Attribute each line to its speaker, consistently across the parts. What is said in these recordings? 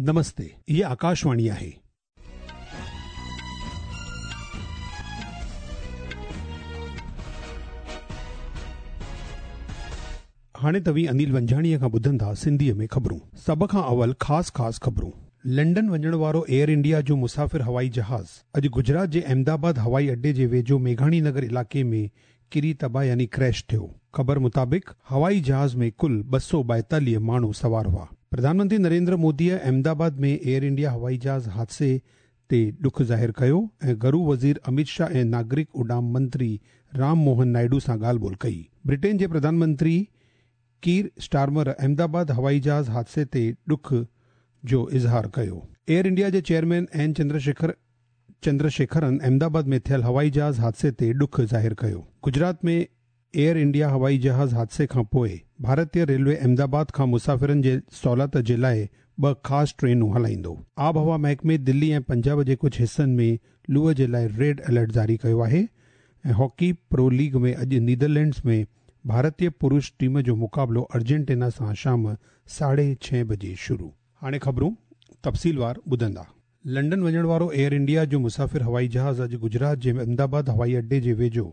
Speaker 1: نمستي، هيء آڪاشواڻي آهي. هاڻي توهين انيل ونجهاڻيء کان ٻڌندا سنڌيء ۾ خبرون. سڀ کان اول خاص خاص خبرون. لنڊن وڃڻ وارو ايئر انڊيا جو مسافر هوائي جهاز اڄ گجرات جي احمدآباد هوائي اڏي جي ويجهو ميگهاڻي نگر علائقي ۾ ڪري تباهه يعني ڪريش ٿيو. خبر مطابق هوائي جهاز ۾ ڪل 242 ماڻهو سوار هئا. پرڌان منتري نريندر موديء احمدآباد ۾ ايئر انڊيا هوائي جهاز حادثي تي ڏک ظاهر ڪيو ۽ گهرو وزير اميت شاهه ۽ ناگرڪ اڏام منتري رام موهن نائيڊو سان ڳالهه ٻولهه ڪئي. برٽين جي پرڌان منتري ڪير اسٽارمر احمدآباد هوائي جهاز حادثي تي ڏک جو اظهار ڪيو. ايئر انڊيا جي چيئرمين اين چندرشيکر چندرشيکرن احمدآباد ۾ ٿيل هوائي جهاز حادثي تي ڏک ظاهر ڪيو. گجرات ۾ ايئر انڊيا هوائي جهاز حادثي کان پوء ڀارتي ريلوي احمدآباد کان مسافرن جي سهولت جي لاء ٻه خاص ٽرينون هلائيندو. آبهوا محڪمي دلي ۽ پنجاب جي ڪجهه حصن ۾ لوء جي لاء ريڊ الرٽ جاري ڪيو آهي ۽ هاڪي پرو ليگ ۾ اڄ نيدرلينڊز ۾ ڀارتي پرش ٽيم جو مقابلو ارجنٽينا سان شام ساڍي ڇهين بجي شروع. هاڻي خبرون تفصيلوار ٻڌندا. لنڊن وڃڻ وارو ايئر انڊيا جو مسافر هوائي جهاز اڄ گجرات جي احمدآباد هوائي اڏي جي ويجهو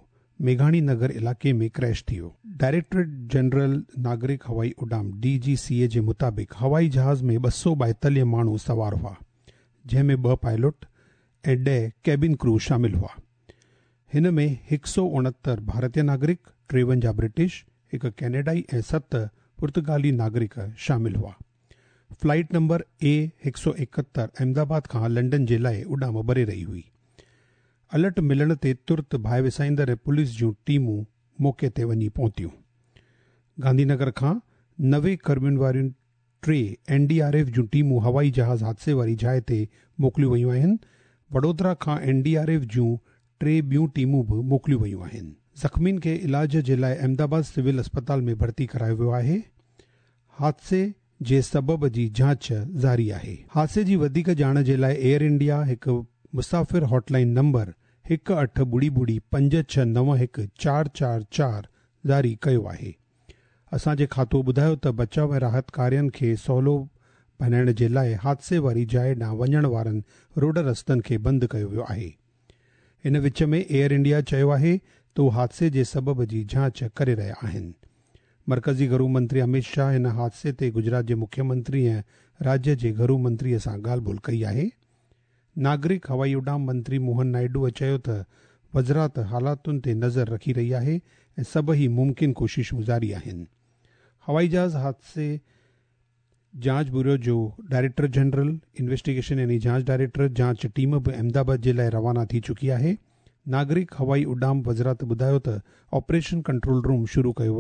Speaker 1: ميگهاڻي نگر علائقي ۾ ڪريش ٿي ويو. ڊائريڪٽريٽ جنرل ناگرڪ هوائي اڏام، ڊي جي سي اي، جي مطابق هوائي جهاز ۾ 242 ماڻهو سوار هئا، جنهن ۾ ٻه پائلٽ ۽ 10 ڪيبن ڪرو شامل هئا. هن ۾ 169 ڀارتي ناگرڪ، 53 برٽش، هڪ ڪينيڊائي ۽ 7 پرتگالي ناگرڪ شامل هئا. فلائيٽ نمبر اي 171 احمدآباد کان لنڊن جي لاء اڏام ڀري رهي هئي. الرٽ ملڻ تي ترت باهه وسائيندڙ ۽ پوليس جون ٽيمون موقعي تي وڃي پهتيون. گانڌي نگر کان 90 ڪرمين واريون ٽي اين ڊي آر ايف جون ٽيمون هوائي جهاز حادثي واري جاء تي موڪليون ويون آهن. وڊودرا کان اين ڊي آر ايف جون ٽي ٻيون ٽيمون به موڪليون ويون آهن. زخمين کي علاج جي لاء احمدآباد سول اسپتال ۾ ڀرتي ڪرايو ويو آهي. حادثي جي سبب جي جاچ جاري آهي. حادثي جي وڌيڪ ڄاڻ جي لاء ايئر انڊيا هڪ مسافر هاٽ لائين نمبر 1 8 ٻڙي ٻڙي 5 6 9 1 4 4 4 جاري ڪيو آهي. اسان جي کاتو ٻڌايو ته بچاء ۽ راحت ڪارين کي سولو بنائڻ جي لاء حادثي واري جاء ڏانهن وڃڻ وارن روڊ رستن کي بند ڪيو ويو آهي. ان وچ ۾ ايئر انڊيا چيو آهي ته هو حادثي جي سبب جي جاچ ڪري رهيا آهن. مرڪزي گهرو منتري اميت شاهه هن حادثي تي گجرات جي مکيه منتري ۽ راجيه جي گهرو منتري سان ڳالهه ٻولهه ڪئي آهي. ناگرڪ هوائي اڏام منتري موهن نائيڊوء چيو ته وزارت حالاتن تي نظر رکي رهي آهي ۽ سڀئي ممڪن ڪوششون جاري آهن. هوائي جهاز حادثي جاچ بيورو جو ڊائريڪٽر جنرل انويسٽيگيشن يعني جاچ ڊائريڪٽر جاچ ٽيم به احمدآباد جي لاء روانا ٿي چڪي آهي. ناگرڪ هوائي اڏام وزارت ٻڌايو ته آپريشن ڪنٽرول روم شروع ڪيو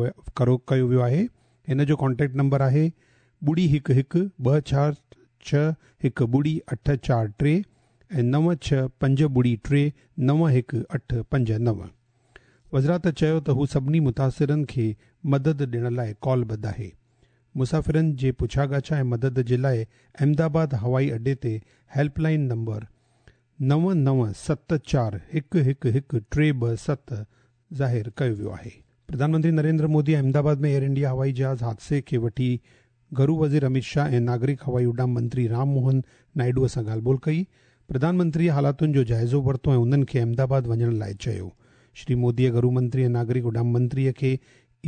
Speaker 1: ويو آهي. هن جو ڪانٽيڪٽ نمبر آهي ٻڙي 1 1 2 4 6 1 ٻڙي 8 4 3 ۽ 9 6 5 ٻڙي 3 9 1 8 5 9. وزارت چيو ته هو سڀني متاثرن کي مدد ڏيڻ لاء ڪال بند آهي. مسافرن جي پڇاڳاڇا ۽ مدد جي لاء احمدآباد هوائي اڏي تي هيلپ لائين نمبر 9 9 7 4 1 1 1 3 2 7 ظاهر ڪيو ويو آهي. پرڌان منتري نريندر مودي احمدآباد ۾ ايئر انڊيا هوائي جهاز حادثي کي وٺي گهرو وزير اميت شاهه ۽ ناگرڪ هوائي اڏام منتري رام موهن نائيڊوء سان ڳالهه ٻولهه ڪئي. پرڌان منتريء حالاتن جو جائزو ورتو ۽ انهن کي احمدآباد وڃڻ لاء چيو. شري موديء گهرو منتري ۽ ناگرڪ اڏام منتريء کي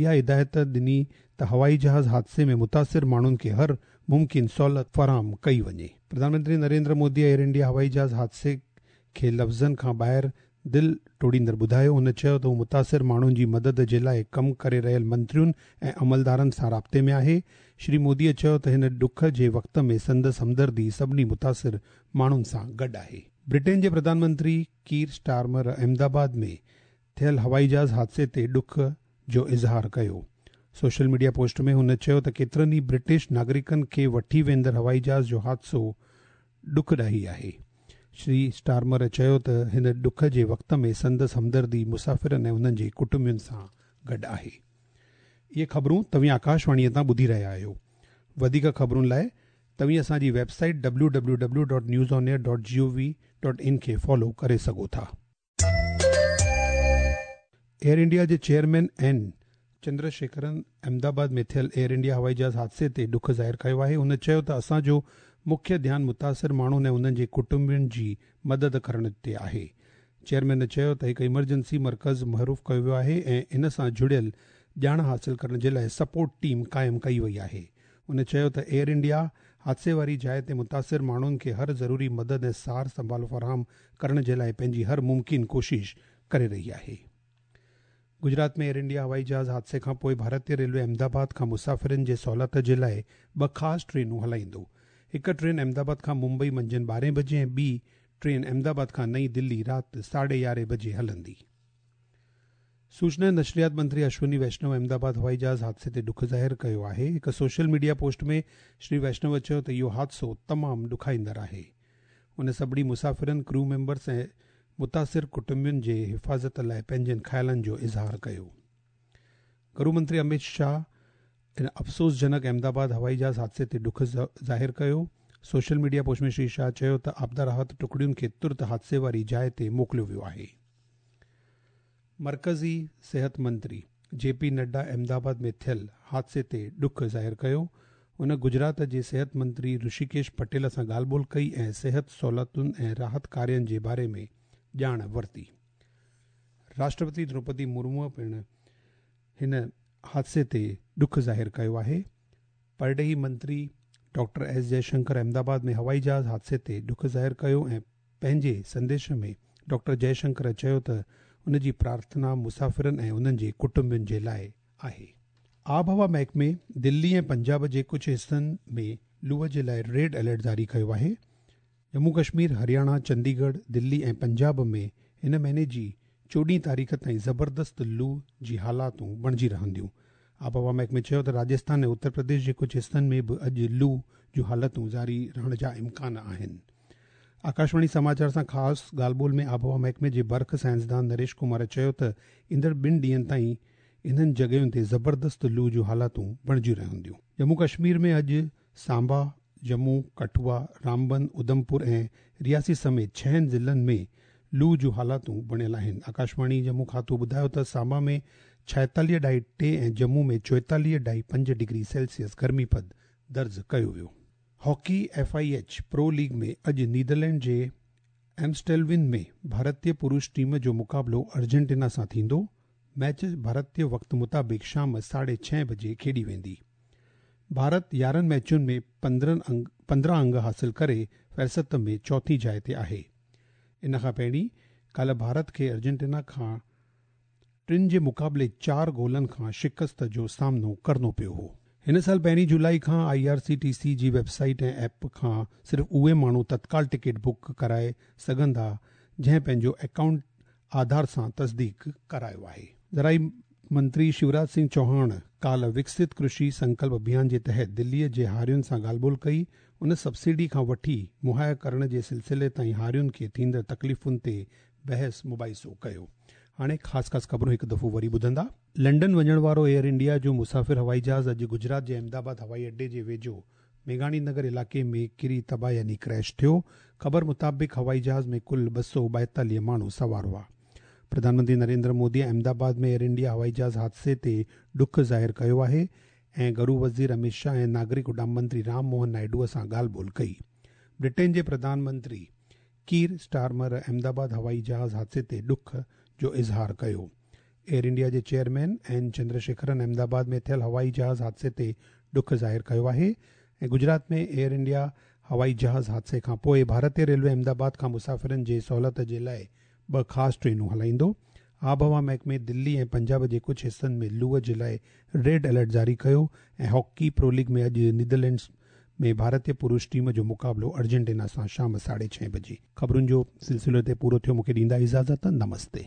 Speaker 1: اها هدايت ڏني ته هوائي جهاز حادثي ۾ متاثر ماڻهن کي هر ممڪن سهولت فراهم ڪئي وڃي. پرڌان منتري نريندر مودي ايئر انڊيا هوائي جهاز حادثي کي لفظن کان ٻاهر دل ٽوڙيندڙ ٻڌايو. هن چيو ته هو متاثر ماڻهن جي مدد جي لاء ڪم ڪري رهيل منترين ۽ عملدارن سان رابطي ۾ آهي. شري مودي چيو ته هن ڏک جي وقت ۾ سندس همدردي سڀني متاثر ماڻهن سان گڏ آهي. برٽين جي پرڌان منتري ڪير اسٽارمر احمدآباد ۾ ٿيل هوائي جهاز حادثي تي ڏک جو اظهار ڪيو. سوشل ميڊيا پوسٽ ۾ هن چيو ته ڪيترن ئي برٽش ناگرڪن کي وٺي ويندڙ هوائي جهاز جو حادثو ڏکڏاهي آهي. شري اسٽارمر چيو ته هن ڏک جي وقت ۾ سندس همدردي مسافرن ۽ انهن جي ڪٽنبن سان گڏ آهي. اهي خبرون توهين آڪاشواڻيء تان ٻڌي رهيا آهيو. وڌيڪ خبرن لاء توهين اسان جي web site www.newsonair.gov.in کي فالو ڪري سگهو ٿا. ايئر انڊيا جي چيئرمين اين چندرشيکرن احمدآباد ۾ ٿيل ايئر انڊيا هوائي جهاز حادثي تي ڏک ظاهر ڪيو آهي. هن چيو ته اسان جو مکيه ڌيان متاثر ماڻهن ۽ انهن جي ڪٽنبن جي مدد ڪرڻ تي آهي. چيئرمين چيو ته هڪ ايمرجنسي مرڪز معروف ڪيو ويو آهي ۽ ان سان جڙيل ڄاڻ حاصل ڪرڻ جي لاءِ سپورٽ ٽيم قائم ڪئي وئي آهي. هن چيو ته ايئر انڊيا حادثي واري جاءِ تي متاثر ماڻهن کي هر ضروري مدد ۽ سار سنڀال فراهم ڪرڻ جي لاءِ پنهنجي هر ممڪن ڪوشش ڪري رهي آهي. گجرات ۾ ايئر انڊيا هوائي جهاز حادثي کان پوءِ ڀارتيه ريلوي احمدآباد کان مسافرن جي سهوليت جي لاءِ 2 خاص ٽرينون هلائيندو. هڪ ٽرين احمدآباد کان ممبئي منجهند 12 بجي ۽ ٻي ٽرين احمدآباد کان نئين دلي رات 11:30 بجي هلندي. سوچنا ۽ نشريات منتري اشوني ويشنو احمدآباد هوائي جهاز حادثي تي ڏک ظاهر ڪيو آهي. هڪ social media post ۾ Shri Vaishnaw چيو ته اهو حادثو تمام ڏکائيندڙ آهي. هن سڀني مسافرن، ڪرو ميمبرس ۽ متاثر ڪٽنبن جي حفاظت لاءِ پنهنجن خيالن جو اظهار ڪيو. گهرو منتري امت شاهه ان افسوسجنڪ احمدآباد هوائي جهاز حادثي تي ڏک ظاهر ڪيو. Social media post ۾ Shri Shah چيو ته آپدا راحت ٽڪڙين کي ترت حادثي واري جاءِ تي موڪليو ويو آهي. مرڪزي صحت منتري جي پي نڊا احمدآباد ۾ ٿيل حادثي تي ڏک ظاهر ڪيو. هن گجرات جي صحت منتري رشيڪيش پٽيل سان ڳالهه ٻولهه ڪئي ۽ صحت سهولتن ۽ راحت ڪارين جي باري ۾ ڄاڻ ورتي. راشٽرپتي دروپدي مرمو پڻ هن حادثي تي ڏک ظاهر ڪيو آهي. پرڏيهي منتري ڊاڪٽر ايس جئشنڪر احمدآباد ۾ هوائي جهاز حادثي تي ڏک ظاهر ڪيو ۽ پنهنجي سنديش ۾ ڊاڪٽر جئشنڪر چيو ته ان جي پرارٿنا مسافرن ۽ انهن جي ڪٽنبن جي لاءِ آهي. آبهوا محڪمي دلي ۽ پنجاب جي ڪجهه حصن ۾ لوءَ جي لاءِ ريڊ الرٽ جاري ڪيو آهي. ڄمون ڪشمير، هرياڻا، چنديڳڙهه، دلي ۽ پنجاب ۾ هن مهيني جي 14 تاريخ تائين زبردست لو جي حالاتون بڻجي رهنديون. آبهوا محڪمي چيو ته راجسٿان ۽ اتر پرديش جي ڪجهه حصن ۾ به اڄ لو جون حالتون جاري رهڻ جا امڪان آهن. آڪاشواڻي سماچار سان خاص ڳالهه ٻولهه ۾ آبهوا محڪمي جي برک سائنسدان نريش ڪمار چيو ته ايندڙ 2 ڏينهن تائين انهن جڳهين تي زبردست لو جون حالتون بڻجي رهنديون. ڄمون ڪشمير ۾ اڄ سانبا، ڄمون، ڪٺوا، رامبن، اڌمپور ۽ رياسي سميت 6 ضلعن ۾ لو جون حالتون بڻيل آهن. آڪاشواڻي ڄمون کاتو ٻڌايو ته سانبا ۾ 46.3 ۽ ڄمون ۾ 44.5 ڊگري سيلسيس گرمي پد درج ڪيو ويو. Hockey FIH pro league ۾ اڄ نيدرلينڊ جي ايمسٽيلوين ۾ ڀارتيه پرش ٽيم جو مقابلو ارجنٽينا سان ٿيندو. ميچ ڀارتيه وقت مطابق شام 6:30 بجي کيڏي ويندي. ڀارت 11 ميچن ۾ 15 انگ حاصل ڪري فهرست ۾ چوٿين جاءِ تي آهي. ان کان پهرين ڪالهه ڀارت کي ارجنٽينا کان 3 جي مقابلي 4 گولن کان شڪست جو سامنو ڪرڻو پيو هو. هن سال 1 جولاءِ کان IRCTC جي ويب سائيٽ ۽ ايپ کان صرف اهي ماڻهو تتڪال ٽڪيٽ بڪ ڪرائي سگهندا جنهن پنهنجو اڪائونٽ آڌار سان تصديق ڪرايو آهي. زرعي منتري شيوراج سنگهه چوهاڻ ڪالهه وڪست ڪرشي سنڪلپ اڀيان جي تحت دليءَ جي هارين سان ڳالهه ٻولهه ڪئي. ان سبسڊي کان وٺي مهيا ڪرڻ جي سلسلي تائين هارين کي ٿيندڙ تڪليفن تي بحث مباحثو ڪيو. هاڻي خاص خاص خبرون هڪ دفعو وري ٻڌندا. لنڊن وڃڻ وارو ايئر انڊيا جو مسافر هوائي جهاز اڄ گجرات جي احمدآباد هوائي اڏي جي ويجهو ميگهاڻي نگر علائقي ۾ ڪري تباهه يعني ڪريش ٿيو. خبر مطابق هوائي جهاز ۾ ڪل 242 ماڻهو سوار هئا. پرڌان منتري نريندر مودي احمدآباد ۾ ايئر انڊيا هوائي جهاز حادثي تي ڏک ظاهر ڪيو آهي ۽ گهرو وزير امت شاهه ۽ ناگرڪ اڏام منتري رام موهن نائيڊو سان ڳالهه ٻولهه ڪئي. برٽين جي پرڌان منتري ڪير اسٽارمر احمدآباد هوائي جهاز حادثي تي ڏک جو اظهار ڪيو. ايئر انڊيا جي چيئرمين اين چندرشيکرن احمدآباد ۾ ٿيل هوائي جهاز حادثي تي ڏک ظاهر ڪيو آهي ۽ گجرات ۾ ايئر انڊيا هوائي جهاز حادثي کان پوءِ ڀارتيه ريلوي احمدآباد کان مسافرن جي سهوليت جي لاءِ 2 خاص ٽرينون هلائيندو. آبهوا محڪمي دلي ۽ پنجاب جي ڪجهه حصن ۾ لوءَ جي لاءِ ريڊ الرٽ جاري ڪيو ۽ هاڪي پرو ليگ ۾ اڄ نيدرلينڊز ۾ ڀارتيه پرش ٽيم جو مقابلو ارجنٽينا سان شام 6:30 بجي. خبرن جو سلسلو هتي پورو ٿيو. مون کي ڏيندا اجازت. نمستي.